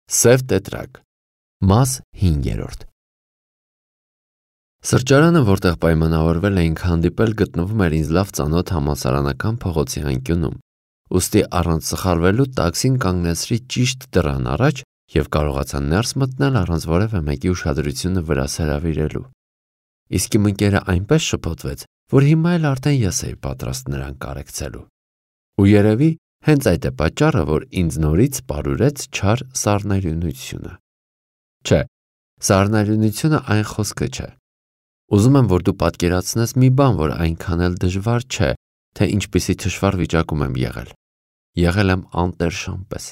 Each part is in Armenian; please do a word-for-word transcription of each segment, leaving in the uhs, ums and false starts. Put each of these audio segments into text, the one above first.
Սև տետրակ, մաս հինգերորդ։ Սրճարանը, որտեղ պայմանավորվել էինք հանդիպել, գտնվում էր ինձ լավ ծանոթ համալսարանական փողոցի անկյունում, ուստի առանց սխալվելու տաքսին կանգնեցրի ճիշտ դռան առաջ և կարողացա ներս մտնել առանց որևէ մեկի ուշադրությունը վրաս հրավիրելու։ Իսկ իմ ընկերը այնպես շփոթվեց, որ հիմա էլ արդեն ես էի պատրաստ նրան կարեկցելու։ Ու երևի հենց այդ է պատճառը, որ ինձ նորից պարուրեց չար սառնարյունությունը։ Չէ, սառնարյունությունը այն խոսքը չէ։ Ուզում եմ, որ դու պատկերացնես մի բան, որ այնքան էլ դժվար չէ, թե ինչպիսի թշվառ վիճակում եմ եղել։ Եղել եմ անտերշան պես։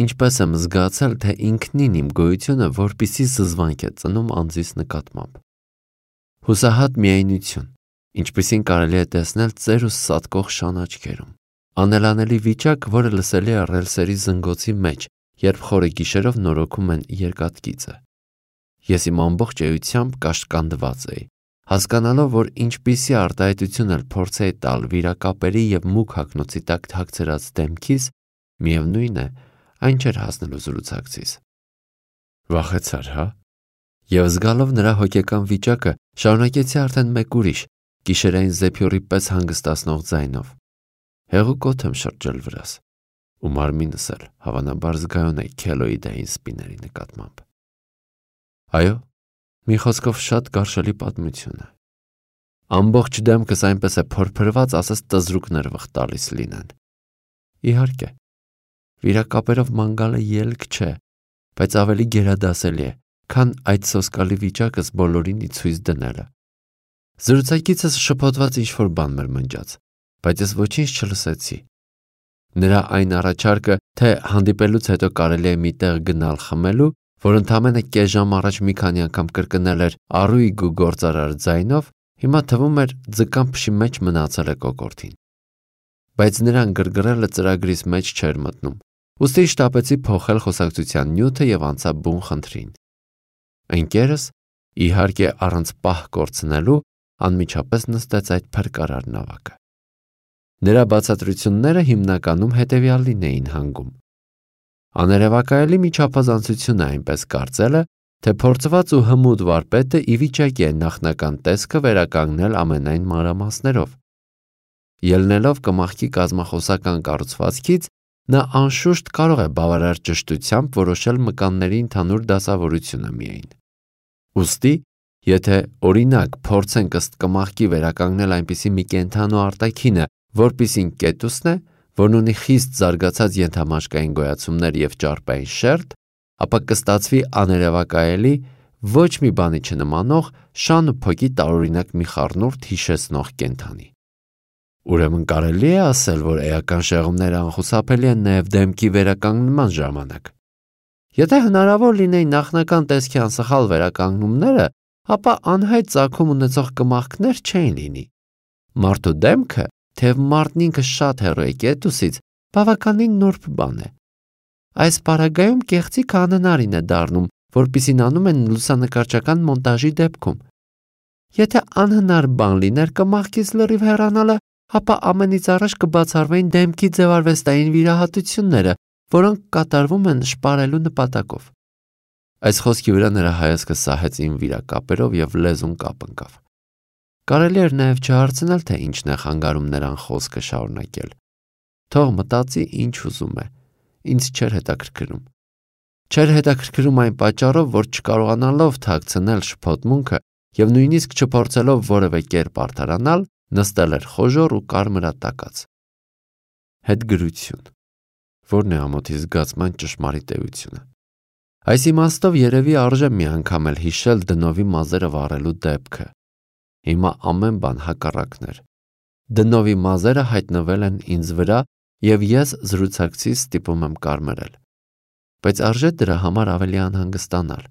Ինչպես եմ զգացել, թե ինքնին իմ գոյությունը որպիսի զզվանք է ծնում անձիս նկատմամբ։ Հուսահատ միայնություն, ինչպիսին կարելի է տեսնել ծեր ու սատկող շան աչքերում։ Անելանելի վիճակ, որը լսելի է ռելսերի զնգոցի մեջ, երբ խորը գիշերով նորոգում են երկաթգիծը։ Ես իմ ամբողջ էությամբ կաշկանդված էի, հասկանալով, որ ինչպիսի արտահայտություն էլ փորձեի տալ վիրակապերի և մուգ հագնոցի տակ թաքցրած դեմքիս, միևնույն է, այն չէր հասնելու զրուցակցիս։ Վախեցար, հա։ Եվ զգալով նրա հոգեկան վիճակը, շարունակեցի արդեն մեկ ուրիշ, գիշերային զեփյուռի պես հանգստացնող ձայնով։ Հեղուկ օդ եմ շրջել վրաս, ու մարմինս էլ հավանաբար զգայուն է քելոիդային սպիների նկատմամբ։ Այո, մի խոսքով շատ գարշելի պատմություն է։ Ամբողջ դեմքս այնպես է փորփրված, ասես տզրուկներ վխտալիս լինեն։ Իհարկե, վիրակապերով ման գալը ելք չէ, բայց ավելի գերադասելի է, քան այդ սոսկալի վիճակս բոլորինի ցույց դնելը։ Զրուցակիցս շփոթված ինչ-որ բան մրմնջաց, բայց ես ոչինչ չլսեցի։ Նրա այն առաջարկը, թե հանդիպելուց հետո կարելի է մի տեղ գնալ խմելու, որ ընդամենը կես ժամ առաջ մի քանի անգամ կրկնել էր առույգ ու գործարար ձայնով, հիմա թվում էր ձկան փշի մեջ մնացել է կոկորդին։ Բայց նրան գրգռելը ծրագրիս մեջ չէր մտնում, ուստի շտապեցի փոխել խոսակցության նյութը և անցա բուն խնդրին։ Ընկերս, իհարկե առանց պահ կորցնելու, անմիջապես նստեց այդ փրկարար նավակը։ Նրա բացատրությունները հիմնականում հետևյալին էին հանգում։ Աներևակայելի մի չափազանցություն է այնպես կարծելը, թե փորձված ու հմուտ վարպետը ի վիճակի է նախնական տեսքը վերականգնել ամենայն մանրամասներով։ Ելնելով կմախքի կազմախոսական կառուցվածքից, նա անշուշտ կարող է բավարար ճշտությամբ որոշել մկանների ընդհանուր դասավորությունը միայն։ Ուստի, եթե օրինակ փորձենք ըստ կմախքի վերականգնել այնպիսի մի կենդանու արտաքինը, որպիսին կետուսն է, որն ունի խիստ զարգացած ենթամաշկային գոյացումներ և ճարպային շերտ, ապա կստացվի աներևակայելի, ոչ մի բանի չնմանող, շան ու փոքի տարօրինակ մի խառնուրդ հիշեցնող կենդանի։ Ուրեմն կարելի է ասել, որ էական շեղումները անխուսափելի են նաև դեմքի վերականգնման ժամանակ։ Եթե հնարավոր լինեին նախնական տեսքի անսխալ վերականգնումները, ապա անհայտ ծագում ունեցող կմախքներ չէին լինի։ Մարդու դեմքը, թեև մարդն ինքը շատ հեռու է կետուսից, բավականին նուրբ բան է։ Այս պարագայում կեղծիք անհնարին է դառնում, որպիսին անում են լուսանկարչական մոնտաժի դեպքում։ Եթե անհնար բան լիներ կմախքից լրիվ հեռանալը, ապա ամենից առաջ կբացառվեին դեմքի ձևարվեստային վիրահատությունները, որոնք կատարվում են շպարելու նպատակով։ Այս խոսքի վրա նրա հայացքը սահեց իմ վիրակապերով և լեզուն կապ ընկավ։ Կարելի էր նաև չհարցնել, թե ինչն է խանգարում նրան խոսքը շարունակել։ Թող մտածի ինչ ուզում է, ինձ չէր հետաքրքրում։ Չէր հետաքրքրում այն պատճառով, որ չկարողանալով թաքցնել շփոթմունքը և նույնիսկ չփորձելով որևէ կերպ արդարանալ, նստել էր խոժոռ ու կարմրատակած։ Հետգրություն, որն է ամոթի զգացման ճշմարիտ էությունը։ Այս իմաստով երևի արժե մի անգամ էլ հիշել դնովի մազերը վառելու դեպքը։ Հիմա ամեն բան հակառակն էր։ Դնովի մազերը հայտնվել են ինձ վրա և ես զրուցակցից ստիպում եմ կարմրել։ Բայց արժե դրա համար ավելի անհանգստանալ։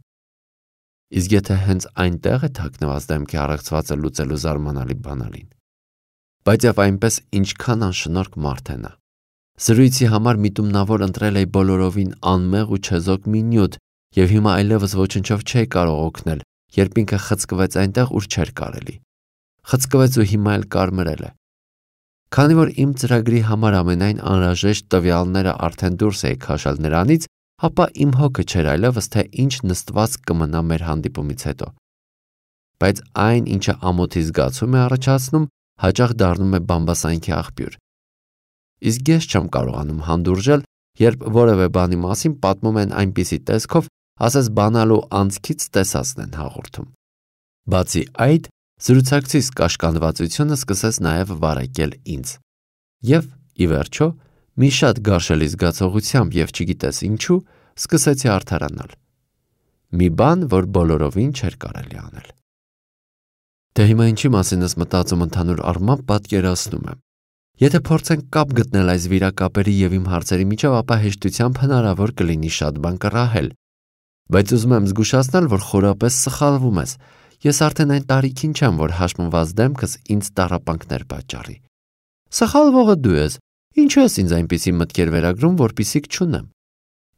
Իսկ եթե հենց այնտեղ է թաքնված դեմքի առեղծվածը լուծելու զարմանալի բանալին։ Բայց և այնպես ինչքան անշնորհք մարդ է նա։ Զրույցի համար միտումնավոր ընտրել էի բոլորովին անմեղ ու չեզոք մի նյութ և հիմա այլևս ոչնչով չէի կարող օգնել, երբ ինքը խցկվեց այնտեղ, ուր չէր կարելի։ Խցկվեց ու հիմա էլ կարմրել է։ Քանի որ իմ ծրագրի համար ամենայն անհրաժեշտ տվյալները արդեն դուրս էի քաշել նրանից, ապա իմ հոգը չէր այլևս, թե ինչ նստված կմնա մեր հանդիպումից հետո։ Բայց այն, ինչը ամոթի զգացում է առաջացնում, հաճախ դառնում է բամբասանքի աղբյուր։ Իսկ ես չեմ կարողանում հանդուրժել, երբ որևէ բանի մասին պատմում են այնպիսի տեսքով, ասես բանալու անցքից տեսածն են հաղորդում։ Բացի այդ, զրուցակցիս կաշկանդվածությունը սկսեց նաև վարակել ինձ։ Եվ, ի վերջո, մի շատ գարշելի զգացողությամբ և չգիտես ինչու, սկսեցի արդարանալ։ Մի բան, որ բոլորովին չէր կարելի անել։ Դե հիմա ինչի մասին ես մտածում ընդհանուր առմամբ պատկերացնում եմ։ Եթե փորձենք կապ գտնել այս վիրակապերի և իմ հարցերի միջև, ապա հեշտությամբ հնարավոր կլինի շատ բան կռահել։ Բայց ուզում եմ զգուշացնել, որ խորապես սխալվում ես։ Ես արդեն այն տարիքին չեմ, որ հաշմված դեմքս ինձ տառապանքներ պատճառի։ Սխալվողը դու ես, ինչու ես ինձ այնպիսի մտքեր վերագրում, որպեսզի չունեմ։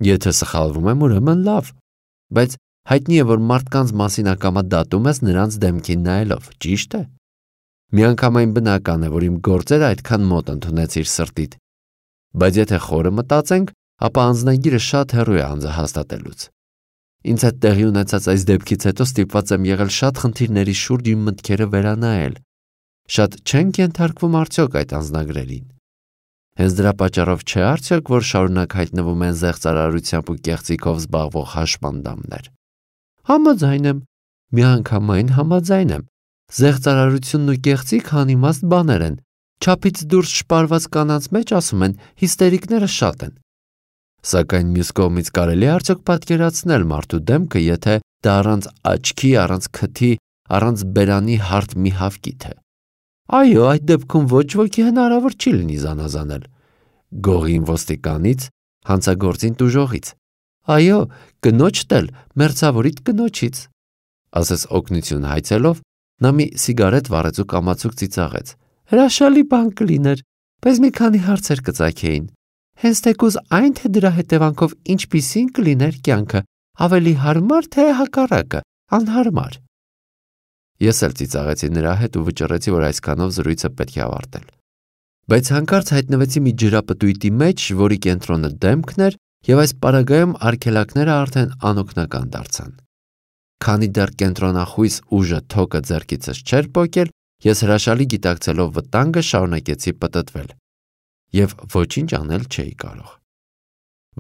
Եթե սխալվում եմ, ուրեմն լավ։ Բայց հայտնի է, որ մարդկանց մասին ակամա դատում ես նրանց դեմքին նայելով, ճիշտ է։ Միանգամայն բնական է, որ իմ գործերը այդքան մոտ ընդունեցիր սրտիդ։ Բայց եթե խորը մտածենք, ապա անձնագիրը շատ հեռու է անձը հաստատելուց։ Ինձ հետ տեղի ունեցած այս դեպքից հետո ստիպված եմ եղել շատ խնդիրների շուրջ իմ մտքերը վերանայել։ Շատ չենք ենթարկվում արդյոք այդ անձնագրերին։ Հենց դրա պատճառով չէ արդյոք, որ շարունակ հայտնվում են զեղծարարությամբ ու կեղծիքով զբաղվող հաշմանդամներ։ Համաձայն եմ, միանգամայն համաձայն եմ։ Զեղծարարությունն ու կեղծիք անիմաստ բաներ են։ Չափից դուրս շպարված կանանց մեջ ասում են հիստերիկները շատ են։ Սակայն մյուս կողմից կարելի է արդյոք պատկերացնել մարդու դեմքը, եթե դա առանց աչքի, առանց քթի, առանց բերանի հարթ մի հավքի թե։ Այո, այդ դեպքում ոչ ոքի հնարավոր չի լինի զանազանել։ Գողին ոստիկանից, հանցագործին տուժողից։ Այո, կնոջդ էլ մերձավորիդ կնոջից։ Ասես օգնություն հայցելով, նա մի սիգարետ վառեց ու կամացուկ ծիծաղեց։ Հրաշալի բան կլիներ, բայց մի քանի հարցեր կծագեին։ Հենց թեկուզ այն, թե դրա հետևանքով ինչպիսին կլիներ կյանքը, ավելի հարմար, թե հակառակը, անհարմար։ Ես էլ ծիծաղեցի նրա հետ ու վճռեցի, որ այսքանով զրույցը պետք է ավարտել։ Բայց հանկարծ հայտնվեցի մի ջրապտույտի մեջ, որի կենտրոնը դեմքն էր, և այս պարագայում արգելակները արդեն անօգնական դարձան։ Քանի դեռ կենտրոնախույս ուժը թոկը ձեռքիցս չէր պոկել, ես հրաշալի գիտակցելով վտանգը շարունակեցի պտտվել։ Եվ ոչինչ անել չէի կարող։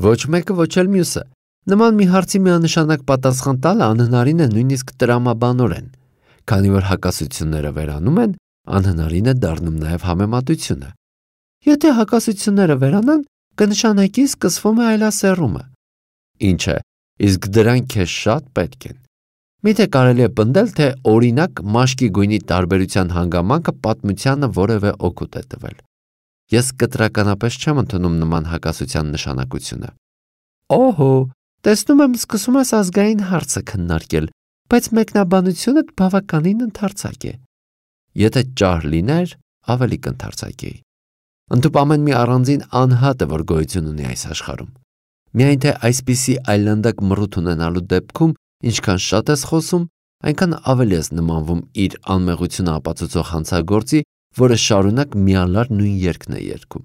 Ոչ մեկը, ոչ էլ մյուսը։ Նման մի հարցի միանշանակ պատասխան տալը անհնարին է նույնիսկ տրամաբանորեն։ Քանի որ հակասությունները վերանում են, անհնարին է դառնում նաև համեմատությունը։ Եթե հակասությունները վերանան, կնշանակի սկսվում է այլասեռումը։ Ինչ է, իսկ դրանք քեզ շատ պետք են։ Միթե կարելի է պնդել, թե օրինակ մաշկի գույնի տարբերության հանգամանքը պատմությանը որևէ օգուտ է տվել։ Ես կտրականապես չեմ ընդունում նման հակասության նշանակությունը։ Օհո, տեսնում եմ սկսում ես ազգային հարցը քննարկել, բայց մեկնաբանությունդ բավականին ընդարձակ է։ Եթե ճար լիներ, ավելի կընդարձակեի։ Ընդհուպ ամեն մի առանձին անհատ է, որ գոյություն ունի այս աշխարհում։ Միայն թե այսպիսի այլանդակ մռութ ունենալու դեպքում, ինչքան շատ ես խոսում, այնքան ավելի ես նմանվում իր անմեղությունը ապացուցող հանցագործի, որը շարունակ միալար նույն երգն է երգում։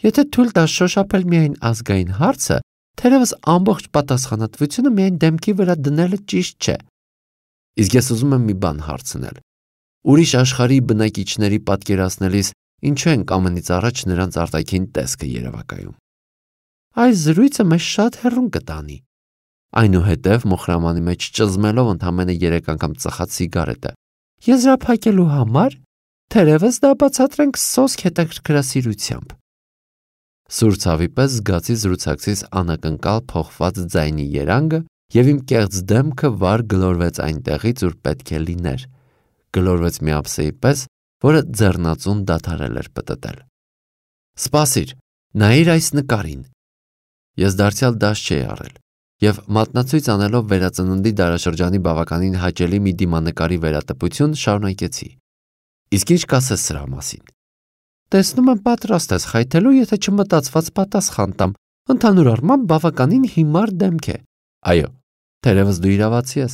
Եթե թույլ տաս շոշափել միայն ազգային հարցը, թերևս ամբողջ պատասխանատվությունը միայն դեմքի վրա դնելը ճիշտ չէ։ Իսկ ես ուզում եմ մի բան հարցնել։ Ուրիշ աշխարհի բնակիչների պատկերացնելիս ինչու ենք ամենից առաջ նրանց արտաքին տեսքը երևակայում։ Այս զրույցը մեզ շատ հեռուն կտանի։ Այնուհետև մոխրամանի մեջ ճզմելով ընդամենը երեք անգամ ծխած սիգարետը։ Եզրափակելու համար, թերևս դա բացատրենք սոսկ հետաքրքրասիրությամբ։ Սուր ցավի պես զգացի զրուցակցիս անակնկալ փոխված ձայնի երանգը և իմ կեղծ դեմքը վար գլորվեց այնտեղից, ուր պետք է լիներ։ Գլորվեց մի ափսեի պես, որը ձեռնածուն դադարել էր պտտել։ Սպասիր, նայիր այս նկարին։ Ես դարձյալ դաշ չէի առել և մատնացույց անելով վերածննդի դարաշրջանի բավականին հաճելի մի դիմանկարի վերատպություն շարունակեցի։ Իսկ ինչ կասես սրա մասին։ Տեսնում եմ պատրաստ ես խայթելու, եթե չմտածված պատասխան տամ, ընդհանուր առմամբ բավականին հիմար դեմք է։ Այո, թերևս դու իրավացի ես։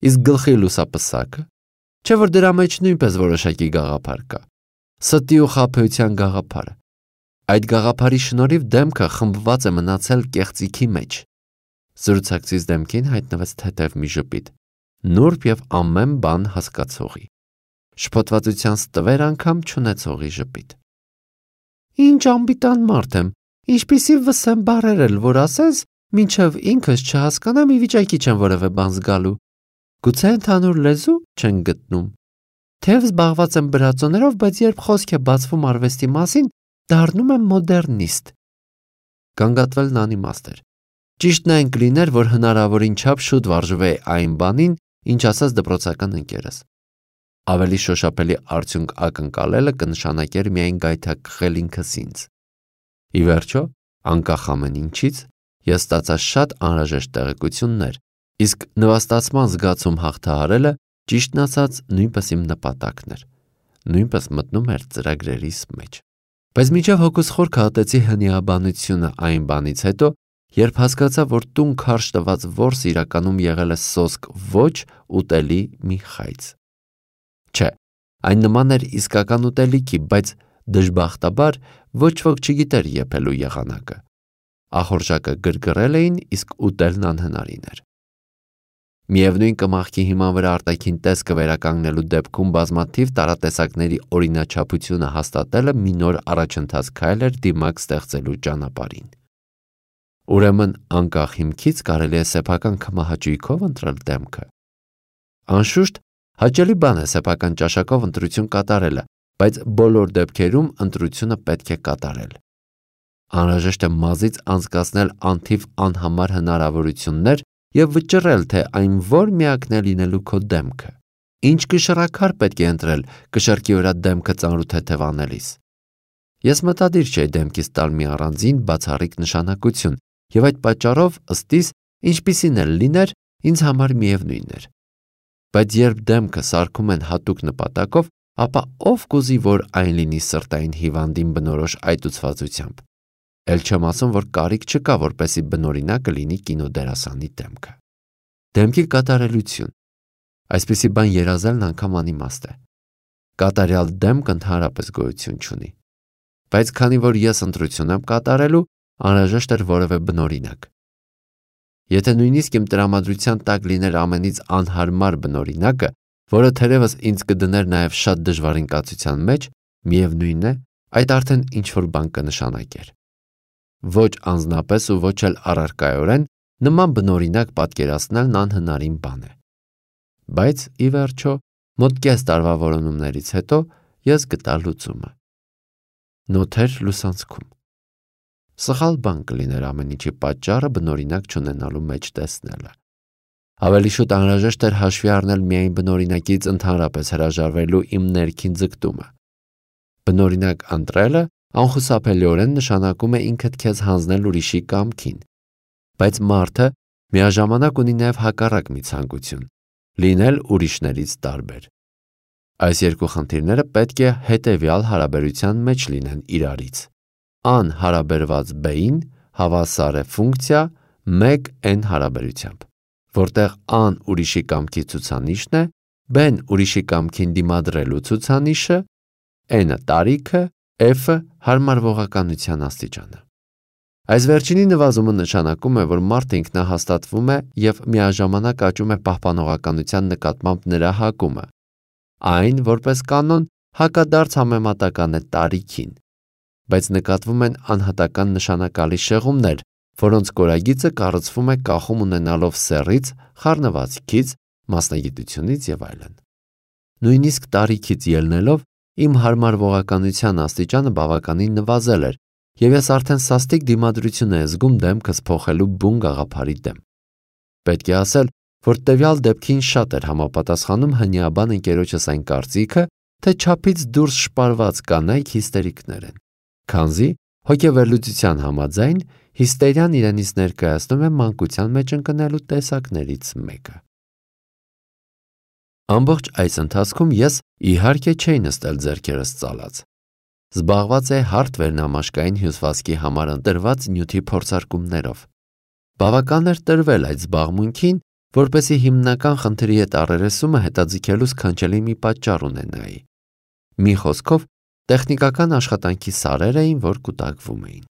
Իսկ գլխի լուսապսակը, չէ որ դրա մեջ նույնպես որոշակի գաղափար կա։ Ստի ու խաբեության գաղափարը։ Այդ գաղափարի շնորհիվ դեմքը խմբված է մնացել կեղծիքի մեջ։ Զրուցակցից դեմքին հայտնվեց թեթև մի ժպիտ, նուրբ եւ ամեն բան հասկացողի, շփոթվածության ստվեր անգամ չունեցողի ժպիտ։ Ինչ անբիտան մարդ եմ, ինչպիսի վսեմ բառեր էլ որ ասես, մինչև ինքս չհասկանամ, ի վիճակի չեմ որևէ բան զգալու։ Գուցե ընդհանուր լեզու չեն գտնում։ Թեև զբաղված եմ բրածոներով, բայց երբ խոսք է բացվում արվեստի մասին, դառնում եմ մոդեռնիստ։ Գանգատվելն անիմաստ էր։ Ճիշտն այն կլիներ, որ հնարավորին չափ շուտ վարժվեի այն բանին, ինչ ասաց դպրոցական ընկերս։ Ավելի շոշափելի արդյունք ակնկալելը կնշանակեր միայն գայթակղել ինքս ինձ։ Ի վերջո, անկախ ամեն ինչից, ես ստացա շատ անհրաժեշտ տեղեկություններ, իսկ նվաստացման զգացում հաղթահարելը, ճիշտն ասած, նույնպես իմ նպատակն էր, նույնպես մտնում էր ծրագրերիս մեջ։ Բայց մինչև հոգուս խորքը ատեցի հնիաբանությունը այն բանից հետո, երբ հասկացա, որ տուն քարշ տված որս իրականում եղել է սոսկ ոչ ուտելի մի խայծ։ Չէ, այն նման էր իսկական ուտելիքի, բայց դժբախտաբար ոչ ոք չգիտեր եփելու եղանակը։ Ախորժակը գրգռել էին, իսկ ուտելն անհնարին էր։ Միևնույն կմախքի հիման վրա արտաքին տեսքը վերականգնելու դեպքում բազմաթիվ տարատեսակների օրինաչափությունը հաստատելը մի նոր առաջընթաց քայլ էր դիմակ ստեղծելու ճանապարհին։ Ուրեմն անկախ հիմքից կարելի է սեփական քմահաճույքով ընտրել դեմքը։ Անշուշտ, հաճելի բան է սեփական ճաշակով ընտրություն կատարելը, բայց բոլոր դեպքերում ընտրությունը պետք է կատարել։ Անհրաժեշտ է մազից անցկացնել անթիվ անհամար հնարավորություններ և վճռել, թե այն որ միակն է լինելու քո դեմքը։ Ինչ կշռաքար պետք է ընտրել կշռքի վրա դեմքը ծանրութեթև անելիս։ Ես մտադիր չէի դեմքիս տալ մի առանձին բացառիկ նշանակություն, և այդ պատճառով ըստիս, ինչպիսին էլ լիներ, ինձ համար միևնույն էր։ Բայց երբ դեմքը սարքում են հատուկ նպատակով, ապա ով կուզի, որ այն լինի սրտային հիվանդին բնորոշ այտուցվածությամբ։ Էլ չեմ ասում, որ կարիք չկա, որպեսզի բնօրինակը լինի կինոդերասանի դեմքը։ Դեմքի կատարելություն։ Այսպիսի բան երազելն անգամ անիմաստ է։ Կատարյալ դեմք ընդհանրապես գոյություն չունի։ Բայց քանի որ ես ընտրություն եմ կատարելու, անհրաժեշտ էր որևէ բնօրինակ։ Եթե նույնիսկ իմ տրամադրության տակ լիներ ամենից անհարմար բնօրինակը, որը թերևս ինձ կդներ նաև շատ դժվար ինկացության մեջ, միևնույն է, այդ արդեն ինչ-որ բան կնշանակեր։ Ոչ անձնապես ու ոչ էլ առարկայորեն նման բնօրինակ պատկերացնելն անհնարին բան է։ Բայց, ի վերջո, մոտ կես տարվա որոնումներից հետո ես գտա լուծումը։ Նոթեր լուսանցքում։ Սխալ բան կլիներ ամեն ինչի պատճառը բնօրինակ չունենալու մեջ տեսնելը։ Ավելի շուտ անհրաժեշտ էր հաշվի առնել միայն բնօրինակից ընդհանրապես հրաժարվելու իմ ներքին ձգտումը։ Բնօրինակ ընտրելը անխուսափելիորեն նշանակում է ինքդ քեզ հանձնել ուրիշի կամքին, բայց մարդը միաժամանակ ունի նաև հակառակ մի ցանկություն՝ լինել ուրիշներից տարբեր։ Այս երկու խնդիրները պետք է հետևյալ հարաբերության մեջ լինեն իրարից։ Ան հարաբերված B-ին հավասար է ֆունկցիա մեկ N հարաբերությամբ, որտեղ ան ուրիշի կամքի ցուցանիշն է, B-ն ուրիշի կամքին դիմադրելու ցուցանիշը, N-ը տարիքը, F-ը հարմարվողականության աստիճանը։ Այս վերջինի նվազումը նշանակում է, որ մարդը ինքնահաստատվում է և միաժամանակ աճում է պահպանողականության նկատմամբ նրա հակումը։ Այն, որպես կանոն, հակադարձ համեմատական է տարիքին, բայց նկատվում են անհատական նշանակալի շեղումներ, որոնց կորագիծը կառուցվում է կախում ունենալով սեռից, խառնվածքից, մասնագիտությունից և այլն։ Նույնիսկ տարիքից ելնելով իմ հարմարվողականության աստիճանը բավականին նվազել էր, և ես արդեն սաստիկ դիմադրություն եմ զգում դեմքս փոխելու բուն գաղափարի դեմ։ Պետք է ասել, որ տվյալ դեպքին շատ էր համապատասխանում հնիաբան ընկերոջս այն կարծիքը, թե չափից դուրս շպարված կանայք հիստերիկներ են, քանզի հոգեվերլուծության համաձայն հիստերիան իրենից ներկայացնում է մանկության մեջ ընկնելու տեսակներից մեկը։ Ամբողջ այս ընթացքում ես իհարկե չէի նստել ձեռքերս ծալած։ Զբաղված է հարթ վերնամաշկային հյուսվածքի համար ընտրված նյութի փորձարկումներով։ Բավական էր տրվել այդ զբաղմունքին, որպեսզի հիմնական խնդրի հետ առերեսումը հետաձգելու սքանչելի մի պատճառ ունենայի։ Մի խոսքով, տեխնիկական աշխատանքի սարեր էին, որ կուտակվում էին։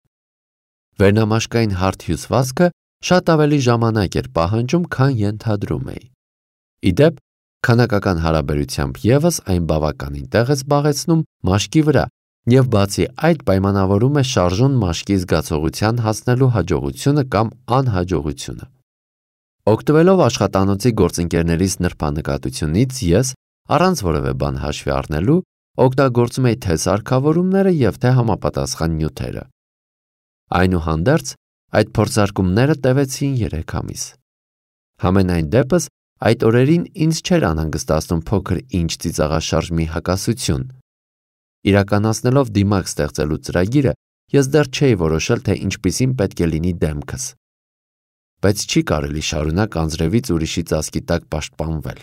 Վերնամաշկային հարթ հյուսվածքը շատ ավելի ժամանակ էր պահանջում, քան ենթադրում էի։ Ի դեպ, քանակական հարաբերությամբ ևս այն բավականին տեղ է զբաղեցնում մաշկի վրա և բացի այդ պայմանավորում է շարժուն մաշկի զգացողության հասնելու հաջողությունը կամ անհաջողությունը։ Օգտվելով աշխատանոցի գործընկերներիս նրբանկատությունից ես, առանց որևէ բան հաշվի առնելու, օգտագործում էի թե սարքավորումները և թե համապատասխան նյութերը։ Այնուհանդերձ, այդ փորձարկումները տևեցին երեք ամիս։ Համենայն դեպս, այդ օրերին ինձ չէր անհանգստացնում փոքր ինչ ծիծաղաշարժ մի հակասություն։ Իրականացնելով դիմակ ստեղծելու ծրագիրը, ես դեռ չէի որոշել, թե ինչպիսին պետք է լինի դեմքս։ Բայց չի կարելի շարունակ անձրևից ուրիշի ծածկի տակ պաշտպանվել։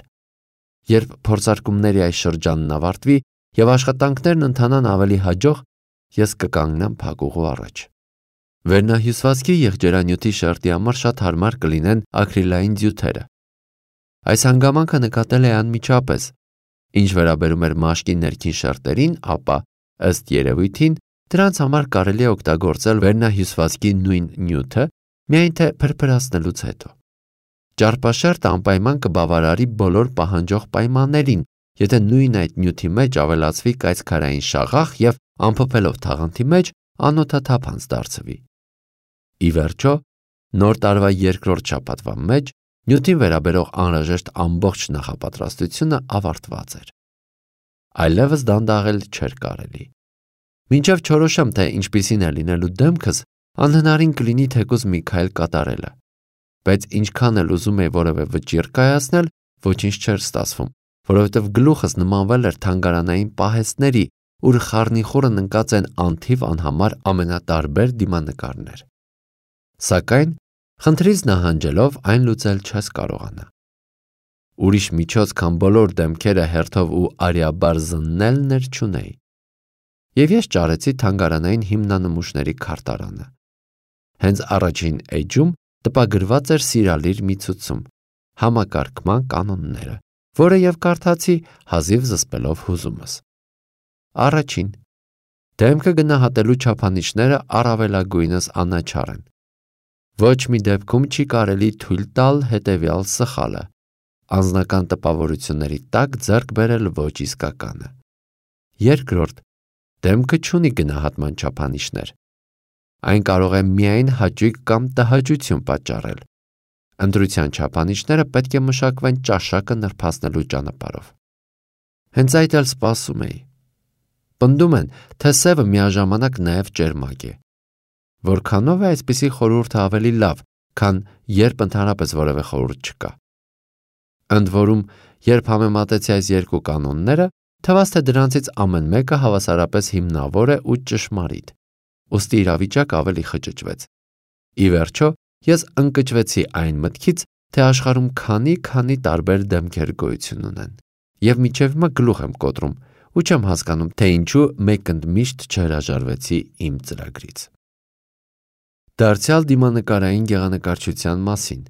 Երբ փորձարկումների այս շրջանն ավարտվի և աշխատանքներն ընթանան ավելի հաջող, ես կկանգնեմ փակուղու առաջ։ Վերնահյուսվածքի եղջերանյութի շերտի համար շատ հարմար կլինեն ակրիլային ձյութերը։ Այս հանգամանքը նկատել էի անմիջապես։ Ինչ վերաբերում էր մաշկի ներքին շերտերին, ապա, ըստ երևույթին, դրանց համար կարելի է օգտագործել վերնահյուսվածքի նույն նյութը, միայն թե փրփրացնելուց հետո։ Ճարպաշերտը անպայման կբավարարի բոլոր պահանջող պայմաններին, եթե նույն այդ նյութի մեջ ավելացվի կայծքարային շաղախ և ամփոփելով թաղանթի մեջ անօդաթափանց դարձվի։ Ի վերջո, նոր տարվա երկրորդ շաբաթվա մեջ նյութին վերաբերող անհրաժեշտ ամբողջ նախապատրաստությունը ավարտված էր։ Այլևս դանդաղել չէր կարելի։ Մինչև չորոշեմ, թե ինչպիսին է լինելու դեմքս, անհնարին կլինի թեկուզ մի քայլ կատարելը։ Բայց ինչքան էլ ուզում էի որևէ վճիռ կայացնել, ոչինչ չէր ստացվում, որովհետև գլուխս նմանվել էր թանգարանային պահեստների, ուր խառնիխուռն ընկած են անթիվ անհամար ամենատարբեր դիմանկարներ։ Սակայն, խնդրից նահանջելով այն լուծել չես կարողանա։ Ուրիշ միջոց, քան բոլոր դեմքերը հերթով ու արյաբար զննելն էր չունեի։ Եվ ես ճարեցի թանգարանային հիմնանմուշների քարտարանը։ Հենց առաջին էջում տպագրված էր սիրալիր մի ցուցում, համակարգման կանոնները, որը և կարդացի հազիվ զսպելով հուզումս։ Առաջին. դեմքը գնահատելու չափանիշները առավելագույնս անաչառ են։ Ոչ մի դեպքում չի կարելի թույլ տալ հետևյալ սխալը՝ անձնական տպավորությունների տակ ձեռք բերել ոչ իսկականը։ Երկրորդ. դեմքը չունի գնահատման չափանիշներ։ Այն կարող է միայն հաճույք կամ տհաճություն պատճառել։ Ընտրության չափանիշները պետք է մշակվեն ճաշակը նրբացնելու ճանապարհով։ Հենց այդ էլ սպասում էի։ Պնդում են, թե սևը միաժամանակ նաև ճերմակ է։ Որքանով է այսպիսի խորհուրդը ավելի լավ, քան երբ ընդհանրապես որևէ խորհուրդ չկա։ Ընդ որում, երբ համեմատեցի այս երկու կանոնները, թվաց, թե դրանցից ամեն մեկը հավասարապես հիմնավոր է ու ճշմարիտ, ուստի իրավիճակը ավելի խճճվեց։ Ի վերջո, ես ընկճվեցի այն մտքից, թե աշխարհում քանի-քանի տարբեր դեմքեր գոյություն ունեն, և մինչև հիմա գլուխ եմ կոտրում ու չեմ հասկանում, թե ինչու մեկ ընդմիշտ չհրաժարվեցի իմ ծրագրից։ Դարձյալ դիմանկարային գեղանկարչության մասին։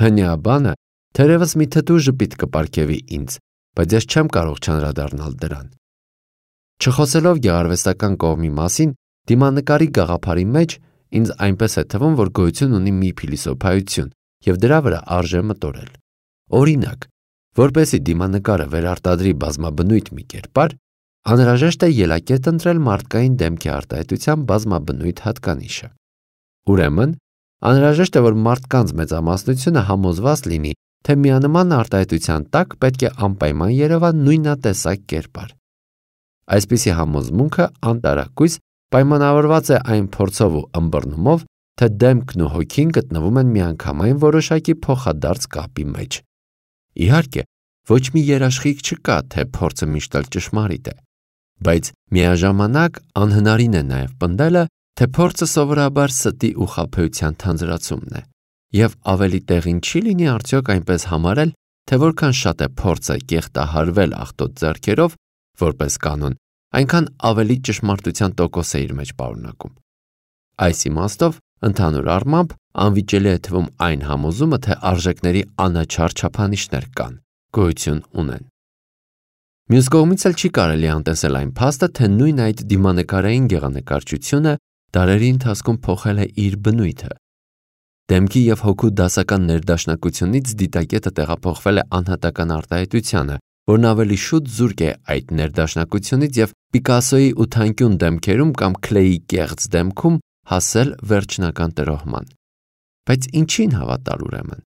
Հնյա բանը թերևս մի թթու ժպիտ կպարգևի ինձ, բայց ես չեմ կարող չանդրադառնալ դրան։ Չխոսելով գեղարվեստական կողմի մասին, դիմանկարի գաղափարի մեջ ինձ այնպես է թվում, որ գոյություն ունի մի փիլիսոփայություն և դրա վրա արժե մտորել։ Օրինակ, որպեսզի դիմանկարը վերարտադրի բազմաբնույթ մի կերպար, անհրաժեշտ է ելակետ ընտրել մարդկային դեմքի արտահայտության բազմաբնույթ հատկանիշը։ Ուրեմն, անհրաժեշտ է, որ մարդկանց մեծամասնությունը համոզված լինի, թե միանման արտահայտության տակ պետք է անպայման երևա նույնատեսակ կերպար։ Այսպիսի համոզմունքը անտարակույս պայմանավորված է այն փորձով ու ըմբռնումով, թե դեմքն ու հոգին գտնվում են միանգամայն որոշակի փոխադարձ կապի մեջ։ Իհարկե, ոչ մի երաշխիք չկա, թե փորձը միշտ էլ ճշմարիտ է, բայց միաժամանակ անհնարին է նաև պնդելը, թե փորձը սովորաբար ստի ու խաբեության թանձրացումն է, և ավելի տեղին չի լինի արդյոք այնպես համարել, թե որքան շատ է փորձը կեղտահարվել աղտոտ ձեռքերով, որպես կանոն, այնքան ավելի ճշմարտության տոկոս է իր մեջ պարունակում։ Այս իմաստով, ընդհանուր առմամբ, անվիճելի է թվում այն համոզումը, թե արժեքների անաչառ չափանիշներ կան, գոյություն ունեն։ Մյուս կողմից էլ չի կարելի անտեսել այն փաստը, թե նույն այդ դիմանկարային գեղանկարչությունը դարերի ընթացքում փոխել է իր բնույթը։ Դեմքի և հոգու դասական ներդաշնակությունից դիտակետը տեղափոխվել է անհատական արտահայտությանը, որն ավելի շուտ զուրկ է այդ ներդաշնակությունից և Պիկասոյի ութանկյուն դեմքերում կամ Քլեի կեղծ դեմքում հասել վերջնական տրոհման։ Բայց ինչին հավատալ ուրեմն։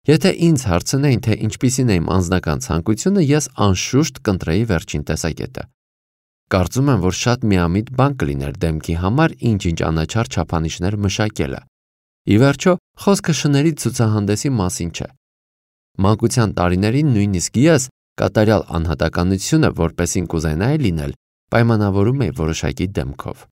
Եթե ինձ հարցնեին, թե ինչպիսին է իմ անձնական ցանկությունը, ես անշուշտ կընտրեի վերջին տեսակետը։ Կարծում եմ, որ շատ միամիտ բան կլիներ դեմքի համար ինչ-ինչ անաչառ չափանիշներ մշակելը։ Ի վերջո, խոսքը շների ցուցահանդեսի մասին չէ։ Մանկության տարիներին նույնիսկ ես կատարյալ անհատականությունը, որպեսին կուզենայի լինել, պայմանավորում էի որոշակի դեմքով։